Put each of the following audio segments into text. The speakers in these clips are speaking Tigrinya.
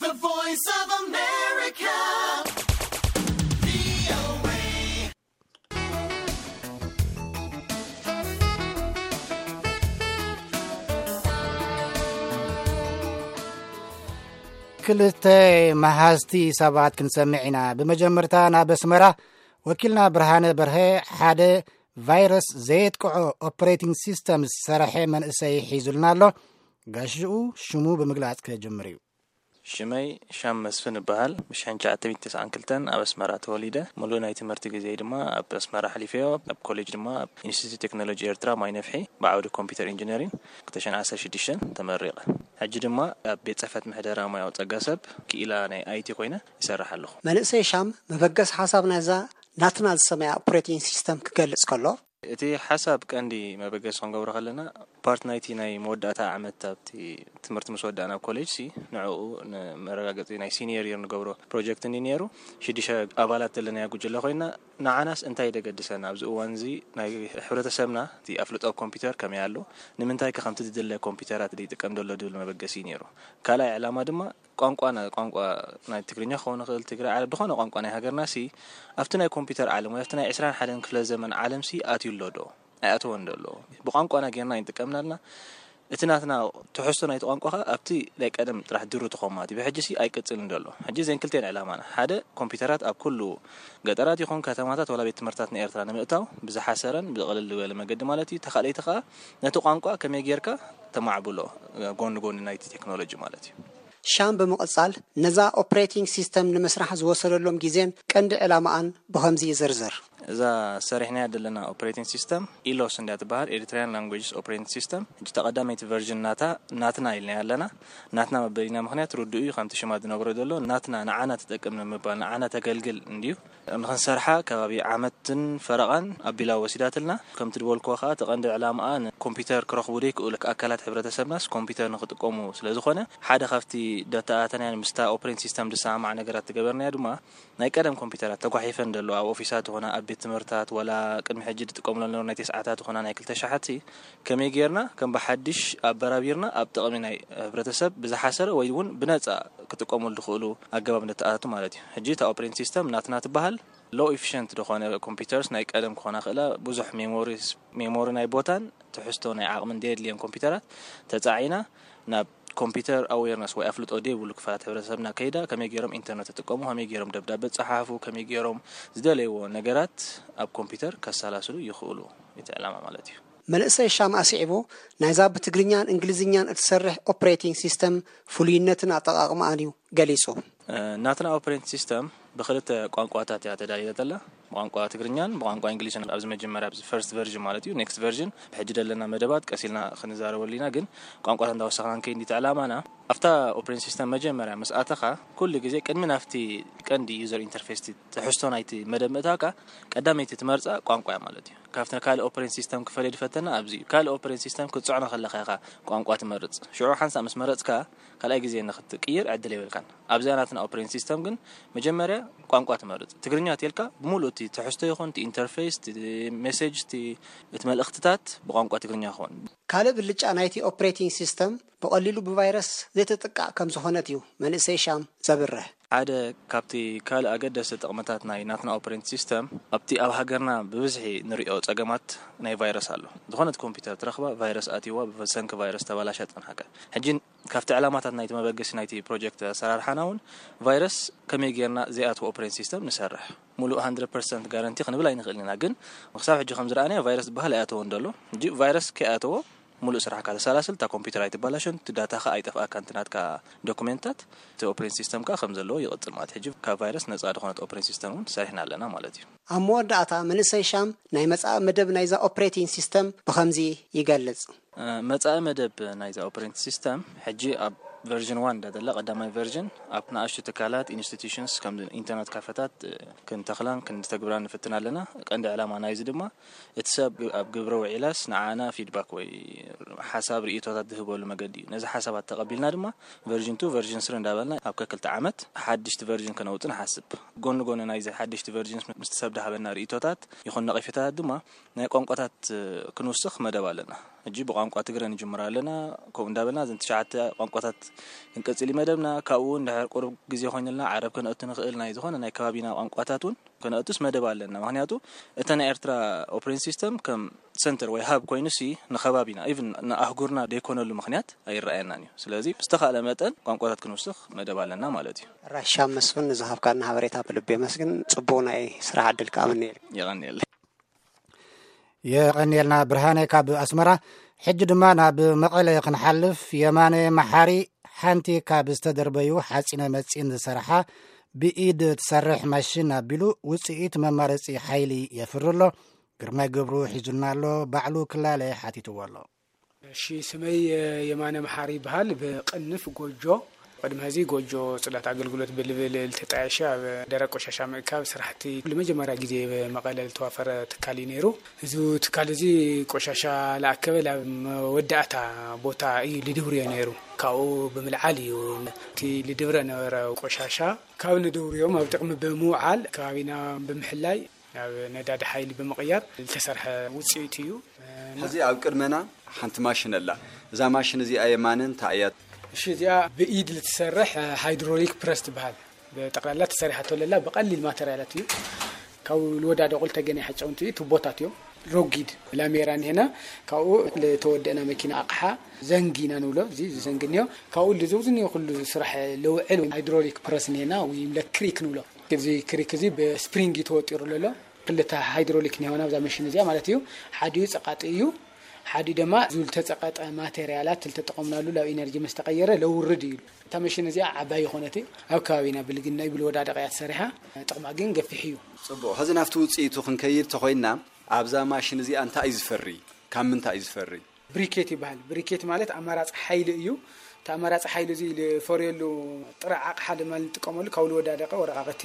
The Voice of America. ክልተ መሃዝቲ ሰባት ክንሰምዕ ኢና። ብመጀመርታ ናብ ኣስመራ ወኪልና ብርሃነ በርሀ ሓደ ቫይረስ ዘየጥቅዖ ኦፕሬቲንግ ሲስተም ዝሰርሐ መንእሰይ ሒዙልና ኣሎ። ጋሽኡ ሽሙ ብምግላጽ ክጅምር እዩ። ሽመይ ሻም መስፍን እበሃል። ብሽሕን ትሽዓተ ሚእትን ተስዓን ክልተን ኣብ ኣስመራ ተወሊደ። ሙሉእ ናይ ትምህርቲ ግዜ ድማ ኣብ ኣስመራ ኣሕሊፈዮ። ኣብ ኮሌጅ ድማ ኣብ ኢንስቲትዩት ቴክኖሎጂ ኤርትራ ማይ ነፍሒ ብዓውዲ ኮምፒውተር ኢንጂነሪንግ ክልተ ሽሕን ዓሰርተ ሽዱሽተን ተመሪቐ። ሕጂ ድማ ኣብ ቤት ጽሕፈት ምሕደራ ሙያዊ ጸጋ ሰብ ክኢላ ናይ ኣይቲ ኮይነ ይሰርሕ ኣለኹ። መንእሰይ ሻም መበገስ ሓሳብ ናይዛ ናትና ዝሰመያ ኦፕሬቲንግ ሲስተም ክገልጽ ከሎ፣ እቲ ሓሳብ ቀንዲ መበገሲ ክንገብሮ ከለና ፓርት ናይቲ ናይ መወዳእታ ዓመት ኣብቲ ትምህርቲ ምስ ወዳእና ኣብ ኮሌጅ ሲ ንዕኡ ንመረጋገፂ ናይ ሲኒየር ይር ንገብሮ ፕሮጀክት እንዲ ነይሩ። ሽዱሽተ ኣባላት ዘለናያ ጉጅለ ኮይና ንዓናስ እንታይ ደገድሰና ኣብዚ እዋን እዚ ናይ ሕብረተሰብና እቲ ኣፍልጦ ኣብ ኮምፒውተር ከመይ ኣሎ፣ ንምንታይ ከ ከምቲ ዝድለ ኮምፒውተራት ይጥቀም ዘሎ ድብል መበገሲ እዩ ነይሩ። ካልኣይ ዕላማ ድማ ቋንቋና ቋንቋ ናይ ትግርኛ ክኸውን ይኽእል ትግራይ ዓረብ ዝኾነ ቋንቋ ናይ ሃገርና ሲ ኣብቲ ናይ ኮምፒውተር ዓለም ወይ ኣብቲ ናይ ዕስራን ሓደን ክፍለ ዘመን ዓለም ሲ ኣትዩ ኣሎ ዶ ኣይኣተወን ዶ ኣሎ? ብቋንቋና ጌርና ይንጥቀምና ኣለና። እቲ ናትና ትሕዝቶ ናይቲ ቋንቋ ኸ ኣብቲ ናይ ቀደም ጥራሕ ድሩ ተኾማት እዩ። ብሕጂ ሲ ኣይቅጽልን ዶ ኣሎ? ሕጂ ዘን ክልቴን ዕላማና ሓደ ኮምፒውተራት ኣብ ኩሉ ገጠራት ይኹን ከተማታት ወላ ቤት ትምህርታት ንኤርትራ ንምእታው ብዝሓሰረን ብቕልል ዝበለ መገዲ ማለት እዩ። ተኻለይቲ ኸኣ ነቲ ቋንቋ ከመይ ጌርካ ተማዕብሎ ጎኒ ጎኒ ናይቲ ቴክኖሎጂ ማለት እዩ። ሻም ብምቕጻል ነዛ ኦፕሬቲንግ ሲስተም ንምስራሕ ዝወሰደሎም ግዜን ቀንዲ ዕላማኣን ብኸምዚ ይዝርዝር። እዛ ሰሪሕናያ ዘለና ኦፕሬቲንግ ሲስተም ኢሎስ እንዳ ትበሃል ኤሪትሪያን ላንጉጅስ ኦፕሬቲንግ ሲስተም። ሕጂ ተቐዳመይቲ ቨርዥን ናታ ናትና ኢልና ኣለና። ናትና መበሊና ምኽንያት ርዱእ እዩ፣ ከምቲ ሽማ ዝነግሮ ዘሎ ናትና ንዓና ትጠቅም ንምባል ንዓና ተገልግል እንድዩ። ንኽንሰርሓ ከባቢ ዓመትን ፈረቓን ኣቢላ ወሲዳትልና። ከምቲ ዝበልክዎ ኸኣ እቲ ቀንዲ ዕላምኣ ንኮምፒውተር ክረኽቡ ዘይክእሉ ኣካላት ሕብረተሰብናስ ኮምፒውተር ንኽጥቀሙ ስለ ዝኾነ ሓደ ካብቲ ደተኣተናያን ምስታ ኦፕሬቲንግ ሲስተም ዝሰማማዕ ነገራት ዝገበርናዮ ድማ ናይ ቀደም ኮምፒውተራት ተጓሒፈን ዘለዋ ኣብ ኦፊሳት ይኹና ኣብ ቤት ትምህርታት ወላ ቅድሚ ሕጂ ዝጥቀምሎም ዝነበሩ ናይ ተስዓታት ይኹና ናይ ክልተ ሽሓት ከመይ ጌርና ከም ብሓድሽ ኣበራቢርና ኣብ ጥቕሚ ናይ ሕብረተሰብ ብዝሓሰረ ወይ እውን ብነጻ ክጥቀሙሉ ዝኽእሉ ኣገባብ ነተኣታቱ ማለት እዩ። ሕጂ እታ ኦፕሬቲንግ ሲስተም ናትና ትበሃል። ሎ ኢፊሽንት ዝኾነ ኮምፒውተርስ ናይ ቀደም ክኾና ክእላ ብዙሕ ሜሞሪ ናይ ቦታን ትሕዝቶ ናይ ዓቕምን ዘየድልየን ኮምፒውተራት ተጻዒና ናብ ኮምፒውተር ኣዌርነስ ወይ ኣፍልጦ ዘይብሉ ክፋላት ሕብረተሰብና ከይዳ ከመይ ገይሮም ኢንተርነት ይጥቀሙ፣ ከመይ ገይሮም ደብዳበ ጸሓፉ፣ ከመይ ገይሮም ዝደለይዎ ነገራት ኣብ ኮምፒውተር ከሰላስሉ ይኽእሉ። እቲ ዕላማ ማለት እዩ። መንእሰይ ሻም ኣስዒቡ ናይዛ ብትግርኛን እንግሊዝኛን እትሰርሕ ኦፕሬቲንግ ሲስተም ፍሉይነትን ኣጠቓቕማኣን እዩ ገሊጹ። ናትና ኦፕሬቲንግ ሲስተም ብክልተ ቋንቋታት እያ ተዳልየላ ዘላ፣ ብቋንቋ ትግርኛን ብቋንቋ እንግሊዝን። ኣብዚ መጀመርያ ኣብዚ ፈርስት ቨርዥን ማለት እዩ። ኔክስት ቨርዥን ብሕጂ ዘለና መደባት ቀሲልና ክንዛረበሉ ኢና፣ ግን ቋንቋታት እንዳወሰኽና ንከይድ እንዲቲ ዕላማና። ኣብታ ኦፕሬቲንግ ሲስተም መጀመርያ ምስ ኣተኻ ኩሉ ግዜ ቅድሚ ናብቲ ቀንዲ ዩዘር ኢንተርፌስ ትሕዝቶ ናይቲ መደብ ምእታውካ ቀዳመይቲ ትመርፃ ቋንቋ እያ ማለት እዩ። ካብቲ ካልእ ኦፕሬቲንግ ሲስተም ክፈልዮ ዝፈተና ኣብዚ እዩ። ካልእ ኦፕሬቲንግ ሲስተም ክትፅዕኖ ከለኻ ኢኻ ቋንቋ ትመርፅ። ሽዑ ሓንሳእ ምስ መረፅካ ካልኣይ ግዜ ንክትቅይር ዕድል የብልካን። ኣብዚኣ ናትና ኦፕሬቲንግ ሲስተም ግን መጀመርያ ቋንቋ ትመርጽ። ትግርኛ ተልካ ብምሉእ እቲ ትሕዝቶ ይኹን እቲ ኢንተርፌስ፣ እቲ ሜሴጅ፣ እቲ እቲ መልእኽትታት ብቋንቋ ትግርኛ ይኸውን። ካልእ ብልጫ ናይቲ ኦፕሬቲንግ ሲስተም ብቐሊሉ ብቫይረስ ዘይትጥቃዕ ከም ዝኾነት እዩ መንእሰይ ሻም ዘብርህ። ሓደ ካብቲ ካልእ ኣገደስቲ ጥቕምታት ናይ ናትና ኦፕሬቲንግ ሲስተም ኣብቲ ኣብ ሃገርና ብብዝሒ ንሪኦ ጸገማት ናይ ቫይረስ ኣሎ። ዝኾነት ኮምፒውተር ትረኽባ ቫይረስ ኣትይዋ ብሰንኪ ቫይረስ ተባላሻ ጸንሓካ። ሕጂ ካብቲ ዕላማታት ናይቲ መበገሲ ናይቲ ፕሮጀክት ኣሰራርሓና እውን ቫይረስ ከመይ ጌርና ዘይኣትዎ ኦፕሬቲንግ ሲስተም ንሰርሕ። ሙሉእ ሃንድረድ ፐርሰንት ጋረንቲ ክንብል ኣይንኽእልን ኢና፣ ግን ክሳብ ሕጂ ከም ዝረኣናዮ ቫይረስ ዝበሃል ኣይኣተወን ዘሎ። ሕጂ ቫይረስ ከይኣተዎ ሙሉእ ስራሕካ ተሰላስል፣ እታ ኮምፒውተር ኣይትባላሾን፣ እቲ ዳታኻ ኣይጠፍኣካን፣ እቲ ናትካ ዶኩሜንታት፣ እቲ ኦፕሬቲንግ ሲስተም ከኣ ከም ዘለዎ ይቕጽል ማለት። ሕጂ ካብ ቫይረስ ነጻ ዝኾነት ኦፕሬቲንግ ሲስተም እውን ሰሪሕና ኣለና ማለት እዩ። ኣብ መወዳእታ መንእሰይ ሻም ናይ መጻኢ መደብ ናይዛ ኦፕሬቲንግ ሲስተም ብኸምዚ ይገልጽ። መጻኢ መደብ ናይዛ ኦፕሬቲንግ ሲስተም ሕጂ ኣብ ቨርዥን ዋን እንዳዘላ ቀዳማይ ቨርዥን ኣብ ንኣሽቱ ትካላት ኢንስቲትዩሽንስ ከም ኢንተርነት ካፈታት ክንተኽላን ክንተግብራን ንፍትን ኣለና። ቀንዲ ዕላማ ናይዚ ድማ እቲ ሰብ ኣብ ግብረ ውዒላስ ንዓና ፊድባክ ወይ ሓሳብ ርእቶታት ዝህበሉ መገዲ እዩ። ነዚ ሓሳባት ተቐቢልና ድማ ቨርዥን ቱ ቨርዥን ስሪ እንዳበልና ኣብ ከክልተ ዓመት ሓድሽቲ ቨርዥን ከነውጽእ ንሓስብ። ጎኒ ጎኒ ናይዚ ሓድሽቲ ቨርዥንስ ምስቲ ሰብ ድሃበና ርእቶታት ይኹን ነቐፌታታት ድማ ናይ ቋንቋታት ክንውስኽ መደብ ኣለና። ሕጂ ብቋንቋ ትግረ ንጅምር ኣለና። ከምኡ እንዳበልና እዘን ትሽዓተ ቋንቋታት ክንቀጽል እዩ መደብና። ካብኡ እውን ድሕር ቁሩብ ግዜ ኮይኑልና ዓረብ ከነእቱ ንኽእል፣ ናይ ዝኾነ ናይ ከባቢና ቋንቋታት እውን ከነእቱስ መደብ ኣለና። ምኽንያቱ እተ ናይ ኤርትራ ኦፕሬቲንግ ሲስተም ከም ሰንተር ወይ ሃብ ኮይኑሲ ንኸባቢና፣ ኢቭን ንኣህጉርና ደይኮነሉ ምኽንያት ኣይረኣየናን እዩ። ስለዚ ብዝተኻእለ መጠን ቋንቋታት ክንውስኽ መደብ ኣለና ማለት እዩ። ራሻ መስፍን፣ ንዝሃብካና ሓበሬታ ብልቢ የመስግን። ጽቡቕ ናይ ስራሕ ዕድል ከኣ ምንየልካ። የቐንየለይ። የቐንየልና ብርሃነ ካብ ኣስመራ። ሕጂ ድማ ናብ መቐለ ክንሓልፍ። የማነ መሓሪ ሓንቲ ካብ ዝተደርበዩ ሓፂነ መፂን ዝሰርሓ ብኢድ ትሰርሕ ማሽን ኣቢሉ ውፅኢት መማረፂ ሓይሊ የፍሪ ኣሎ። ግርማይ ገብሩ ሒዙልና ኣሎ። ባዕሉ ክላለ ሓቲትዎ ኣሎ። እሺ፣ ስመይ የማነ መሓሪ ይበሃል። ብቕንፍ ጎጆ ቅድሚ ሕዚ ጎጆ ፅዳት ኣገልግሎት ብልብል ልተጣየሸ ኣብ ደረቅ ቆሻሻ ምእካብ ስራሕቲ ንመጀመርያ ግዜ መቐለ ዝተዋፈረ ትካል እዩ ነይሩ። እዚ ትካል እዚ ቆሻሻ ለኣከበ ላብ መወዳእታ ቦታ እዩ ልድብርዮ ነይሩ። ካብኡ ብምልዓል እዩ እቲ ልድብረ ነበረ ቆሻሻ ካብ ንድብርዮም ኣብ ጥቕሚ ብምውዓል ከባቢና ብምሕላይ ናብ ነዳዲ ሓይሊ ብምቕያር ዝተሰርሐ ውፅኢት እዩ። ሕዚ ኣብ ቅድመና ሓንቲ ማሽን ኣላ። እዛ ማሽን እዚኣ የማነ እንታይ እያ? እሺ፣ እዚኣ ብኢድ ልትሰርሕ ሃይድሮሊክ ፕረስ ትበሃል። ብጠቕላላ ተሰሪሓቶ ለላ ብቐሊል ማተርያላት እዩ። ካብ ልወዳደቑ ልተገነ ሓጨውንቲ እዩ። ቱቦታት እዮም። ሮጊድ ላሜራ እንሄና። ካብኡ ልተወደእና መኪና ኣቕሓ ዘንጊ ኢና ንብሎ። እዚ ዘንጊ እንዮ ካብኡ ልዘውዝ እንዮ ኩሉ ስራሕ ልውዕል ሃይድሮሊክ ፕረስ እንሄና ወይ ኢለክትሪክ ንብሎ። እዚ ክሪክ እዚ ብስፕሪንግ እዩ ተወጢሩ ዘሎ። ክልተ ሃይድሮሊክ እንሄና ኣብዛ መሽን እዚኣ ማለት እዩ። ሓዲኡ ፀቃጢ እዩ። ሓዲኡ ድማ እዚ ልተፀቀጠ ማቴሪያላት ልተጠቐምናሉ ላብ ኢነርጂ ምስ ተቐየረ ለውርድ እዩ። እታ መሽን እዚኣ ዓባይ ይኾነት እዩ። ኣብ ከባቢና ብልግና እዩ ብልወዳደቕ እያ ተሰሪሓ። ጥቕማ ግን ገፊሕ እዩ። ፅቡቕ። ሕዚ ናብቲ ውፅኢቱ ክንከይድ ተኾይንና ኣብዛ ማሽን እዚኣ እንታይ እዩ ዝፈሪ? ካብ ምንታይ እዩ ዝፈሪ? ብሪኬት ይበሃል። ብሪኬት ማለት ኣማራፂ ሓይሊ እዩ። እቲ ኣማራፂ ሓይሊ እዚ ዝፈርየሉ ጥረ ኣቕሓ ድማ ንጥቀመሉ ካብ ዝወዳደቐ ወረቃቕቲ፣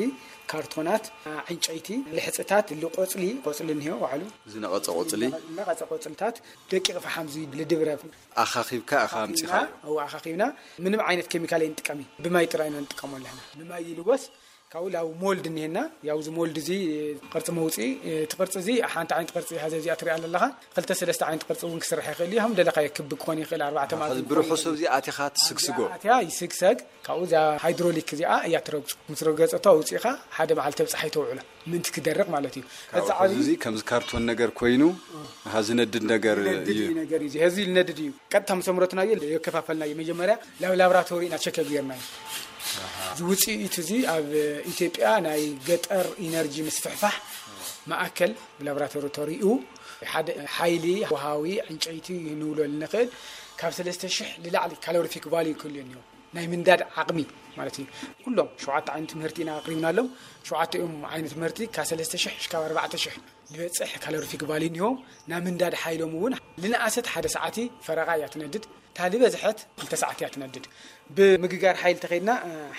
ካርቶናት፣ ዕንጨይቲ፣ ልሕፅታት፣ ልቆፅሊ፣ ቆፅሊ እኒሆ ባዕሉ ዝነቐፀ ቆፅሊ፣ ዝነቐፀ ቆፅልታት፣ ደቂቕ ፈሓም እዚ ልድብረ ኣኻኺብካ እኻ ኣምፂኻ። ኣው ኣኻኺብና ምንም ዓይነት ኬሚካል ኣይንጥቀም እዩ። ብማይ ጥራይ ኢና ንጥቀመሉ ኣለና። ብማይ ይልወስ ካብኡ ላው ሞልድ እኒሄና። ያው እዚ ሞልድ እዚ ቅርፂ መውፅኢ እቲ ቅርፂ እዚ ሓንቲ ዓይነት ቅርፂ ሀዘ እዚኣ ትሪኣ ኣለኻ። ክልተ ሰለስተ ዓይነት ቅርፂ እውን ክስራሕ ይኽእል እዩ። ከም ደለኻዮ ክቢ ክኾን ይኽእል፣ ኣርባዕተ ማዕዘን ክኾን ብርሑሱ ይኽእል። እዚ ኣቲኻ ትስግስጎ። ኣቲያ ይስግሰግ። ካብኡ እዛ ሃይድሮሊክ እዚኣ እያ ትረግፁ። ምስ ረገፀቶ ኣውፂእኻ ሓደ መዓልቲ ተብፅሓ ይተውዕሎ ምንቲ ክደርቕ ማለት እዩ። ካብ እዚ ርሑሱ ዓብዪ እዚ ከምዚ ካርቶን ነገር ኮይኑ፣ ሃ ዝነድድ ነገር ነድድ እዩ። እዩ ነገር እዩ። እዚ ነድድ እዩ። ቀጥታ ምስ ኣምረትናዮ የከፋፈልናዮ። መጀመርያ ላብ ላብራቶሪ ኢና ቸክ ጌርናዮ። እዚ ውፅኢት እዚ ኣብ ኢትዮጵያ ናይ ገጠር ኢነርጂ ምስፍሕፋሕ ማእከል ብላብራቶሪ ተሪኡ ሓደ ሓይሊ ወሃዊ ዕንጨይቲ ንብሎ ንኽእል ካብ ሰለስተ ሽሕ ንላዕሊ ካሎሪፊክ ቫልዩ ክህልዮ እኒኦ ናይ ምንዳድ ዓቕሚ ማለት እዩ። ኩሎም ሸውዓተ ዓይነት ምህርቲ ኢና ኣቕሪብናሎም። ሸውዓተ እዮም ዓይነት ምህርቲ ካብ ሰለስተ ሽሕ ክሳብ ኣርባዕተ ሽሕ ዝበፅሕ ካሎሪፊክ ቫልዩ እኒሆም። ናይ ምንዳድ ሓይሎም እውን ልንኣሰት ሓደ ሰዓቲ ፈረቓ እያ ትነድድ። እታ ዝበዝሐት ክልተ ሰዓት እያ ትነድድ። ብምግጋር ሓይሊ ተኸድና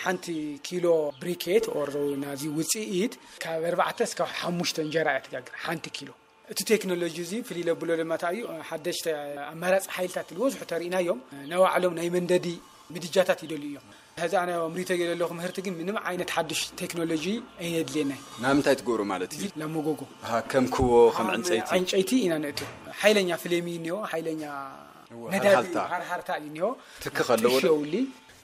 ሓንቲ ኪሎ ብሪኬት ኦር ናዚ ውፅኢት ካብ ኣርባዕተ እስካብ ሓሙሽተ እንጀራ እያ ትጋግር ሓንቲ ኪሎ። እቲ ቴክኖሎጂ እዚ ፍልይ ለብሎ ድማ እንታይ እዩ? ሓደሽተ ኣማራፂ ሓይልታት ዝበዝሑ ተሪእናዮም ናይ ባዕሎም ናይ መንደዲ ምድጃታት ይደልዩ እዮም። ሕዚ ኣነ ኣምሪቶ ዘለኹ ምህርቲ ግን ምንም ዓይነት ሓድሽ ቴክኖሎጂ ኣየድልየናይ። ንምንታይ ትገብሩ ማለት እዩ? ላብ መጎጎ። ኣሃ፣ ከም ክቦ፣ ከም ዕንፀይቲ። ዕንጨይቲ ኢና ነእቱ። ሓይለኛ ፍሌም እዩ እኒኦ፣ ሓይለኛ እወ፣ ነዳዲ ሃርሃርታ። ሃርሃርታ እዩ እኒኦ። ትኪ ከለዎ ዶ? ጥሽ የውሊ።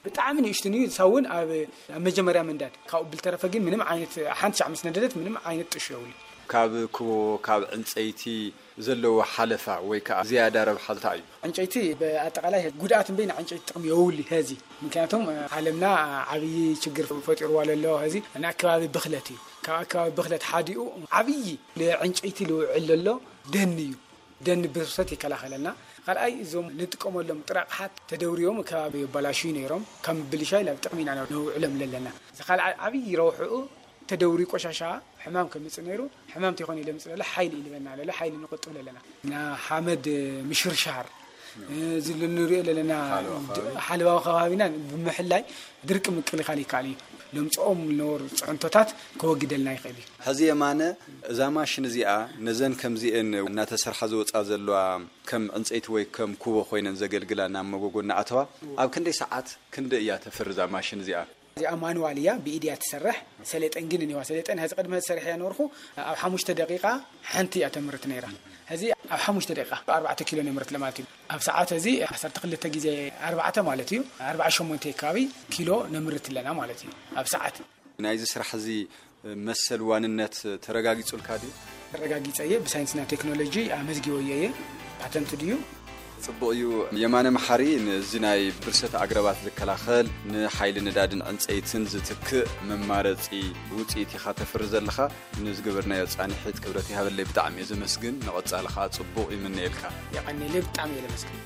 ብጣዕሚ ንእሽቱ እዩ። ንሳ እውን ኣብ ኣብ መጀመርያ ምንዳድ ካብኡ ብልተረፈ ግን ምንም ዓይነት ሓንቲ ሻዕ ምስ ነደደት ምንም ዓይነት ጥሽ የውሊ። ካብ ክቦ፣ ካብ ዕንፀይቲ ዘለዎ ሓለፋ ወይ ከዓ ዝያዳ ረብሓ እንታይ እዩ? ዕንጨይቲ ብኣጠቃላይ ጉድኣት እምበይ ንዕንጨይቲ ጥቕሚ የውሊ። ሀዚ ምክንያቱም ዓለምና ዓብዪ ችግር ፈጢርዋ ለሎ። ሀዚ ንኣከባቢ ብኽለት እዩ። ካብ ኣከባቢ ብኽለት ሓዲኡ ዓብዪ ንዕንጨይቲ ልውዕል ለሎ ደን እዩ። ደን ብርሰት ይከላኸለልና። ካልኣይ እዞም ንጥቀመሎም ጥረ ኣቕሓት ተደውርዮም ከባቢ የባላሽዩ ነይሮም። ካብ ምብልሻይ ናብ ጥቕሚ ኢና ነውዕሎም ለለና። እዚ ካልኣይ ዓብዪ ረብሕኡ ተደውሪ ቆሻሻ ሕማም ከምፅእ ነይሩ። ሕማም ተይኮነ ለምፅእ ለለ ሓይሊ እዩ ልበና ለለ ሓይሊ ንቆጥብ ለለና። ና ሓመድ ምሽርሻር እዚ ንሪኦ ለለና ሓለዋ ከባቢ። ሓለዋዊ ከባቢና ብምሕላይ ድርቂ ምክልኻል ይከኣል እዩ። ለምፅኦም ዝነበሩ ፅዕንቶታት ከወግደልና ይኽእል እዩ። ሕዚ የማነ እዛ ማሽን እዚኣ ነዘን ከምዚኤን እናተሰርሓ ዝወፃ ዘለዋ ከም ዕንፀይቲ ወይ ከም ኩቦ ኮይነን ዘገልግላ ናብ መጎጎ እናኣተዋ ኣብ ክንደይ ሰዓት ክንደይ እያ ተፍሪ እዛ ማሽን እዚኣ? እዚኣ ማኑዋል እያ፣ ብኢድያ ትሰርሕ። ሰሌጠን ግን እኒዋ ሰሌጠን ሕዚ ቅድመ ዝሰርሕ እያ ነበርኩ። ኣብ ሓሙሽተ ደቂቃ ሓንቲ እያ ተምርት ነይራ። ሕዚ ኣብ ሓሙሽተ ደቂቃ ኣርባዕተ ኪሎ ነምርት ለማለት እዩ። ኣብ ሰዓት እዚ ዓሰርተ ክልተ ግዜ ኣርባዕተ ማለት እዩ፣ ኣርባዓ ሸሞንተ ከባቢ ኪሎ ነምርት ኣለና ማለት እዩ ኣብ ሰዓት። ናይዚ ስራሕ እዚ መሰል ዋንነት ተረጋጊጹልካ ድዩ? ተረጋጊጸ እየ፣ ብሳይንስና ቴክኖሎጂ ኣመዝጊበዮ እየ። ፓተንት ድዩ? ጽቡቕ እዩ። የማነ መሓሪ፣ ንዚ ናይ ብርሰት ኣግረባት ዝከላኸል፣ ንሓይሊ ነዳድን ዕንጸይትን ዝትክእ መማረጺ ውጽኢት ኢኻ ተፍሪ ዘለኻ። ንዝገበርናዮ ጻንሒት ክብረት ይሃበለይ፣ ብጣዕሚ እየ ዘመስግን። ንቐጻሊ ኸኣ ጽቡቕ ይምነየልካ። የቐንየለይ፣ ብጣዕሚ እየ ዘመስግን።